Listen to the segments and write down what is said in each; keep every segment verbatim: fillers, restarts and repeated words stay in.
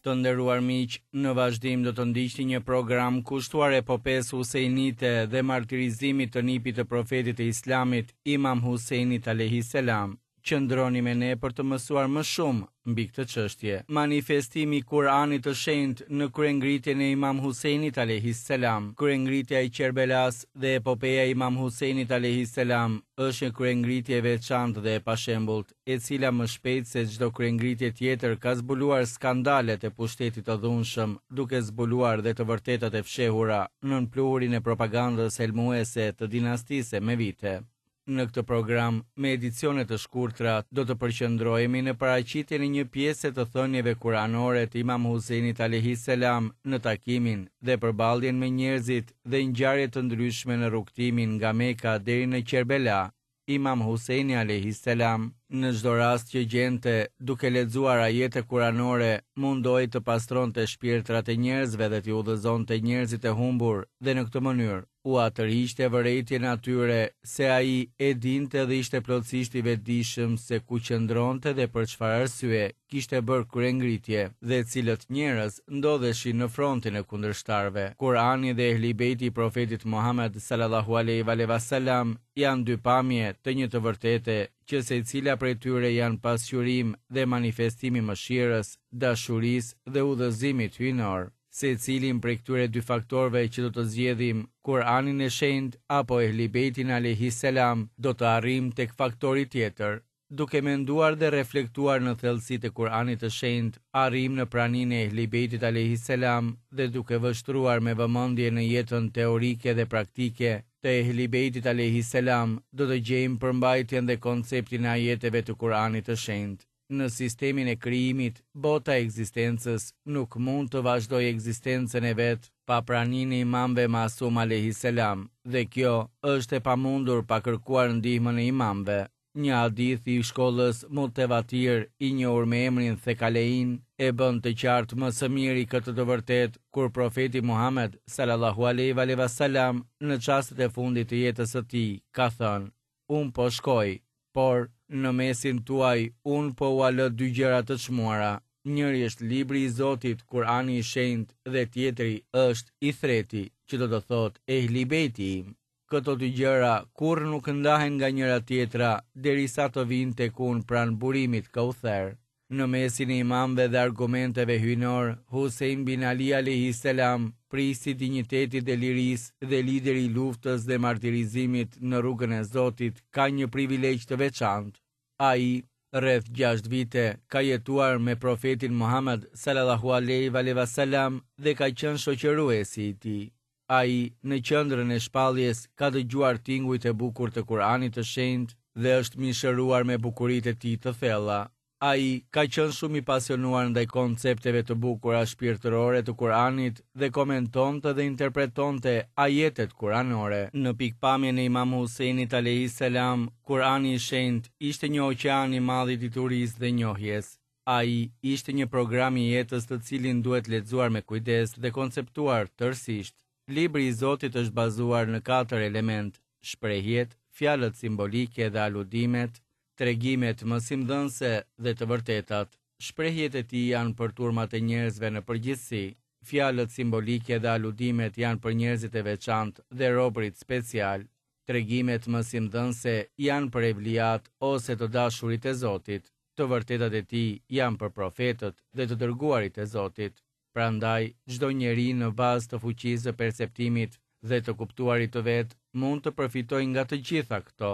Të nderuar miq, në vazhdim do të ndiqni një program kushtuar epopesë Husejnite dhe martirizimit të nipit të profetit të Islamit, Imam Husejnit alejhi selam. Qëndroni me ne për të mësuar më shumë mbi këtë çështje. Manifestimi i Kur'anit të Shenjtë në kryengritjen e Imam Husejnit alejhi selam. Kryengritja e Qerbelas dhe epopeja e Imam Husejnit alejhi selam është një kryengritje e veçantë dhe e pashembullt, e cila më shpejt se çdo kryengritje tjetër ka zbuluar skandalet e pushtetit të dhunshëm, duke zbuluar dhe të vërtetat e fshehura nën pluhurin e propagandës helmuese të dinastisë emevite. Në këtë program, me edicione të shkurtra, do të përqendrohemi në paraqitjen e një pjese të thënieve kuranore të Imam Husejnit alejhi selam në takimin dhe përballjen me njerëzit dhe ngjarje të ndryshme në rrugëtimin nga Meka deri në Qerbela. Imam Husejni alejhi selam, në çdo rast që gjente, duke lexuar ajete kuranore, mundohej të pastronte shpirtrat e njerëzve dhe t'i udhëzonte njerëzit e humbur dhe në këtë mënyrë ua tërhiqte vërejtjen atyre se ai e dinte dhe ishte plotësisht i vetëdijshëm se ku qëndronte dhe për çfarë arsye kishte bërë kryengritje dhe cilët njerëz ndodheshin në frontin e kundërshtarëve. Kurani dhe Ehli Bejti i profetit Muhammed sallallahu alaihi wa sallam janë dy pamje të një të vërtete që secila prej tyre janë pasqyrim dhe manifestim i mëshirës, dashurisë dhe udhëzimit hyjnor. Secilin prej këtyre dy faktorëve që do të zgjedhim, Kur'anin e Shenjtë apo Ehli Bejtin alejhi selam, do të arrijmë tek faktori tjetër. Duke menduar dhe reflektuar në thellësitë e Kur'anit të Shenjtë, arrijmë në praninë e Ehli Bejtit alejhi selam dhe duke vështruar me vëmendje në jetën teorike dhe praktike të Ehli Bejtit alejhi selam, do të gjejmë përmbajtjen dhe konceptin e ajeteve të Kur'anit të Shenjtë. Në sistemin e krijimit, bota e ekzistencës nuk mund të vazhdojë ekzistencën e vet pa praninë e imamëve Masum alejhi selam, dhe kjo është e pamundur pa kërkuar ndihmën e imamëve. Një hadith i shkollës Mutevatir, i njohur me emrin Thekalein, e bën të qartë më së miri këtë të vërtetë kur profeti Muhammed sallallahu alaihi wa sallam në çastet e fundit të jetës së tij ka thënë: "Unë po shkoj, por në mesin tuaj unë po ua lë dy gjëra të çmuara. Njëri është libri i Zotit, Kur'ani i Shenjtë, dhe tjetri është Ithreti, që do të thotë Ehli Bejti im. Këto dy gjëra kurrë nuk ndahen nga njëra tjetra derisa të vinë tek unë pranë burimit Kauther." Në mesin e imamëve dhe argumenteve hyjnor, Husejn bin Ali alejhi selam, prisi i dinjitetit dhe lirisë dhe lideri i luftës dhe martirizimit në rrugën e Zotit, ka një privilegj të veçantë. Ai, rreth gjashtë vite, ka jetuar me profetin Muhammed sallallahu alaihi wa sallam dhe ka qenë shoqëruesi i tij. Ai, në qendrën e shpalljes, ka dëgjuar tingujt e bukur të Kur'anit të Shenjtë dhe është mishëruar me bukuritë e tij të thella. Ai ka qenë shumë i pasionuar ndaj koncepteve të bukura shpirtërore të Kur'anit dhe komentonte dhe interpretonte ajetet kuranore. Në pikpamjen e Imam Husejnit alejhi selam, Kur'ani i Shenjtë ishte një oqean i madh i diturisë dhe njohjes. Ai ishte një program i jetës të cilin duhet lexuar me kujdes dhe konceptuar tërësisht. Libri i Zotit është bazuar në katër element: shprehjet, fjalët simbolike dhe aludimet, tregimet mësimdhënëse dhe të vërtetat. Shprehjet e tij janë për turmat e njerëzve në përgjithësi, fjalët simbolike dhe aludimet janë për njerëzit e veçantë dhe robërit special. Tregimet mësimdhënëse janë për evliat ose të dashurit e Zotit. Të vërtetat e tij janë për profetët dhe të dërguarit e Zotit. Prandaj, çdo njeri në bazë të fuqisë së perceptimit dhe të kuptuarit të vet mund të përfitojë nga të gjitha këto.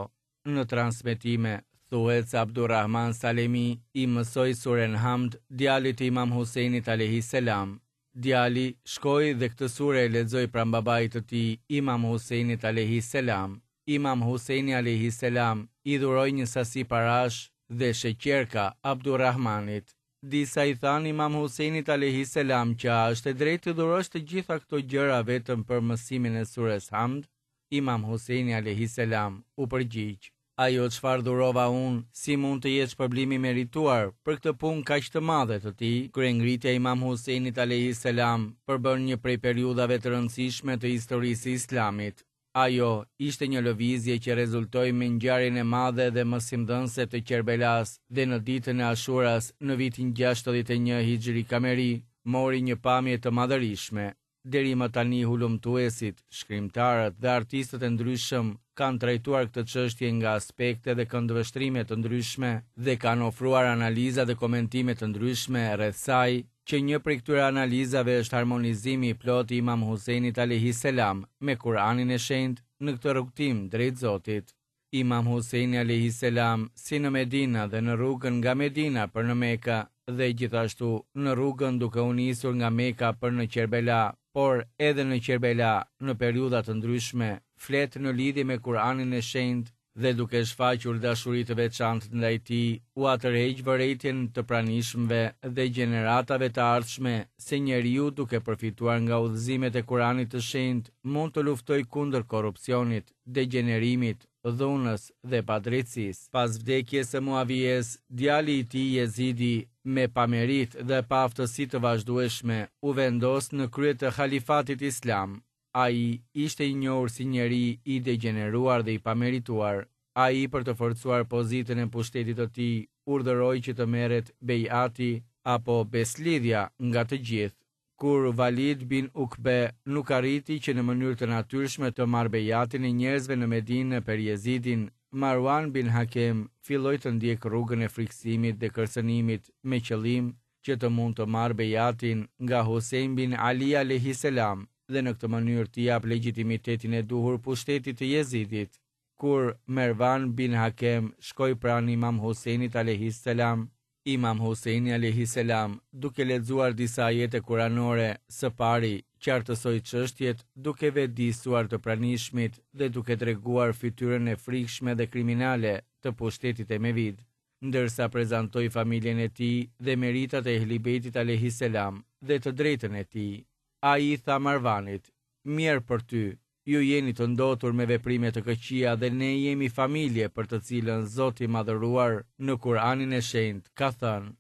Në transmetime thuhet se Abdurrahman Salemi i mësoi suren Hamd djalit të Imam Husejnit alejhi selam. Djali shkoi dhe këtë sure e lexoi pranë babait të tij, Imam Husejnit alejhi selam. Imam Husejni alejhi selam i dhuroi një sasi parash dhe sheqerka Abdurrahmanit. Disa i thanë Imam Husejnit alejhi selam që a është e drejtë të dhurosh të gjitha këto gjëra vetëm për mësimin e sures Hamd? Imam Husejni alejhi selam u përgjigj: "Ajo çfarë dhurova unë, si mund të jetë shpërblimi merituar për këtë punë kaq të madhe të tij?" Kryengritja e Imam Husejnit alejhi selam përbën një prej periudhave të rëndësishme të historisë së Islamit. Ajo ishte një lëvizje që rezultoi me ngjarjen e madhe dhe mësimdhënëse të Qerbelas dhe në ditën e Ashuras në vitin gjashtëdhjetë e një Hijri Kameri, mori një pamje të madhërishme. Deri më tani hulumtuesit, shkrimtarët dhe artistët e ndryshëm kanë trajtuar këtë çështje nga aspekte dhe këndvështrime të ndryshme dhe kanë ofruar analiza dhe komentime të ndryshme rreth saj, që një prej këtyre analizave është harmonizimi i plotë i Imam Husejnit alayhi selam me Kur'anin e Shenjtë në këtë rrugëtim drejt Zotit. Imam Husejni alayhi selam, si në Medina dhe në rrugën nga Medina për në Mekë dhe gjithashtu në rrugën duke u nisur nga Meka për në Qerbela, por edhe në Qerbela në periudha të ndryshme, flet në lidhje me Kur'anin e Shenjtë dhe duke shfaqur dashuri të veçantë ndaj tij, ua tërheq vërejtjen të pranishmëve dhe gjeneratave të ardhshme se njeriu duke përfituar nga udhëzimet e Kur'anit të Shenjtë mund të luftojë kundër korrupsionit, degjenerimit, dhunës dhe padrejtësisë. Pas vdekjes së Muavijes, djali i tij Jezidi, me pamerit dhe paaftësi të vazhdueshme, u vendos në krye të halifatit islam. Ai ishte i njohur si njeri i degjeneruar dhe i pamerituar. Ai, për të forcuar pozitën e pushtetit të tij, urdhëroi që të merret bejati apo beslidhja nga të gjithë. Kur Walid bin Ukbe nuk arriti që në mënyrë të natyrshme të marrë bejatin e njerëzve në Medinë për Jezidin, Marwan bin Hakem filloi të ndjekë rrugën e frikësimit dhe kërcënimit me qëllim që të mund të marrë bejatin nga Hussein bin Ali alayhi selam dhe në këtë mënyrë t'i jap legitimitetin e duhur pushtetit të Jezidit. Kur Mervan bin Hakem shkoi pranë Imam Huseinit alayhi selam, Imam Huseini alayhi selam, duke lexuar disa ajete kuranore, së pari qartësoi çështjet duke vetëdijsuar të pranishmit dhe duke treguar fytyrën e frikshme dhe kriminale të pushtetit emevid, ndërsa prezantoi familjen e tij dhe meritat e Ehli Bejtit alayhi selam dhe të drejtën e tij. Ai i tha Marvanit: "Mjerë për ty, ju jeni të ndotur me veprime të këqija dhe ne jemi familje për të cilën Zoti i madhëruar në Kur'anin e Shenjtë ka thënë: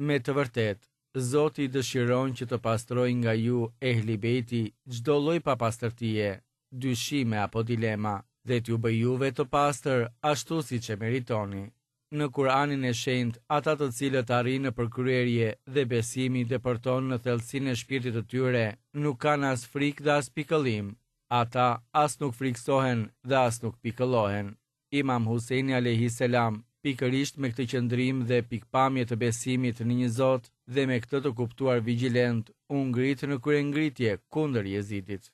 Me të vërtetë, Zoti dëshiron që të pastrojë nga ju Ehli Bejti çdo lloj papastërtie, dyshime apo dilema, dhe t'ju bëj juve të pastër ashtu siç e meritoni." Në Kur'anin e Shenjtë, ata të cilët arrijnë në përkryerje dhe besimi depërton në thellësinë e shpirtit të tyre, nuk kanë as frikë dhe as pikëllim. Ata as nuk frikësohen dhe as nuk pikëllohen. Imam Huseini alayhi selam, pikërisht me këtë qëndrim dhe pikpamje të besimit në një Zot dhe me këtë të kuptuar vigjilent, u ngrit në kryengritje kundër Jezidit.